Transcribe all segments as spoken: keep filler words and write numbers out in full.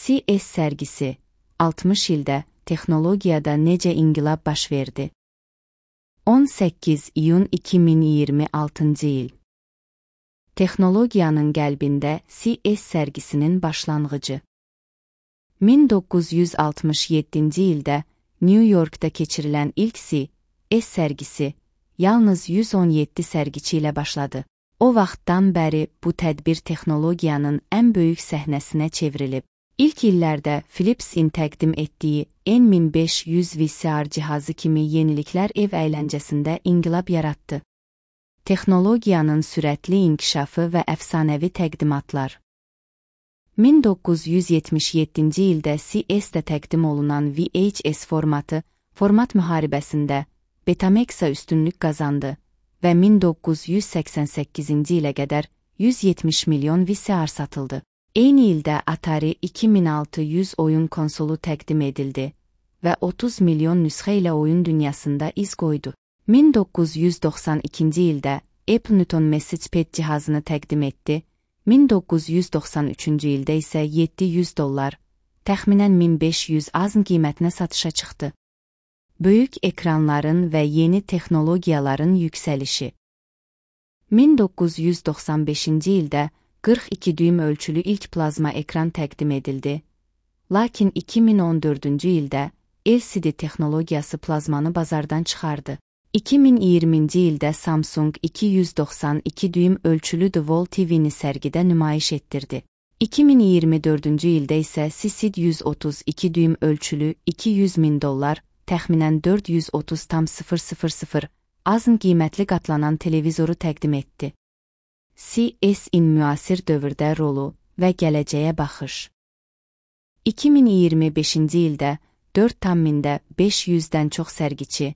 C E S sərgisi altmış ildə texnologiyada necə inqilab baş verdi? on səkkiz iyun iki min iyirmi altıncı il. Texnologiyanın qəlbində C E S sərgisinin başlanğıcı. min doqquz yüz altmış yeddinci ildə New Yorkda keçirilən ilk C E S sərgisi yalnız yüz on yeddi sərgiçi ilə başladı. O vaxtdan bəri bu tədbir texnologiyanın ən böyük səhnəsinə çevrilib. İlk illərdə Philips'in təqdim etdiyi N min beş yüz V C R cihazı kimi yeniliklər ev əyləncəsində inqilab yaratdı. Texnologiyanın sürətli inkişafı və əfsanəvi təqdimatlar. min doqquz yüz yetmiş yeddinci ildə C E S-də təqdim olunan V H S formatı, format müharibəsində Betamax-a üstünlük qazandı və min doqquz yüz səksən səkkizinci ilə qədər yüz yetmiş milyon V C R satıldı. Eyni ildə Atari iki min altı yüz oyun konsolu təqdim edildi və otuz milyon nüsxə ilə oyun dünyasında iz qoydu. min doqquz yüz doxsan ikinci ildə Apple Newton MessagePad cihazını təqdim etdi, min doqquz yüz doxsan üçüncü ildə isə yeddi yüz dollar, təxminən min beş yüz azn qiymətinə satışa çıxdı. Böyük ekranların və yeni texnologiyaların yüksəlişi. min doqquz yüz doxsan beşinci ildə qırx iki düym ölçülü ilk plazma ekran təqdim edildi, lakin iki min on dördüncü ildə L C D texnologiyası plazmanı bazardan çıxardı. iki min iyirminci ildə Samsung iki yüz doxsan iki düym ölçülü The Wall T V-ni sərgidə nümayiş etdirdi. iki min iyirmi dördüncü ildə isə C C D yüz otuz iki düym ölçülü iki yüz min dollar, təxminən dörd yüz otuz min azn qiymətli qatlanan televizoru təqdim etdi. C E S-in müasir dövrdə rolu və gələcəyə baxış. iki min iyirmi beşinci ildə dörd mində beş yüzdən çox sərgiçi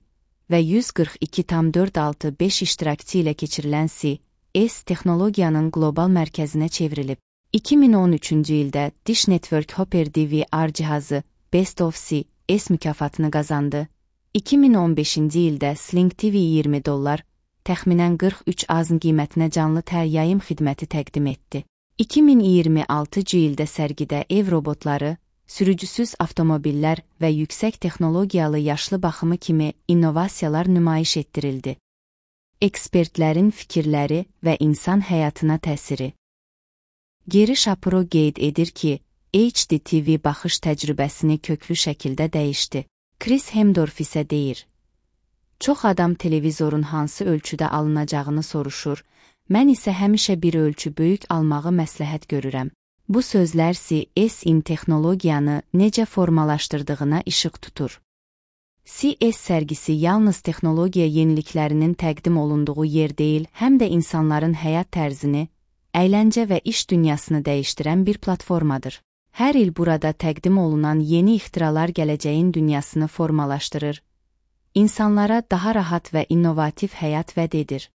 və yüz qırx iki min dörd yüz altmış beş iştirakçı ilə keçirilən C E S texnologiyanın qlobal mərkəzinə çevrilib. iki min on üçüncü ildə Dish Network Hopper D V R cihazı Best of C E S mükafatını qazandı. iki min on beşinci ildə Sling T V iyirmi dollar, təxminən qırx üç azn qiymətinə canlı tər yayım xidməti təqdim etdi. iki min iyirmi altıncı ildə sərgidə ev robotları, sürücüsüz avtomobillər və yüksək texnologiyalı yaşlı baxımı kimi innovasiyalar nümayiş etdirildi. Ekspertlərin fikirləri və insan həyatına təsiri. Geri Shapiro qeyd edir ki, H D T V baxış təcrübəsini köklü şəkildə dəyişdi. Chris Hemdorf isə deyir: Çox adam televizorun hansı ölçüdə alınacağını soruşur, mən isə həmişə bir ölçü böyük almağı məsləhət görürəm. Bu sözlər C E S-in texnologiyanı necə formalaşdırdığına işıq tutur. C E S sərgisi yalnız texnologiya yeniliklərinin təqdim olunduğu yer deyil, həm də insanların həyat tərzini, əyləncə və iş dünyasını dəyişdirən bir platformadır. Hər il burada təqdim olunan yeni ixtiralar gələcəyin dünyasını formalaşdırır, insanlara daha rahat və innovativ həyat vəd edir.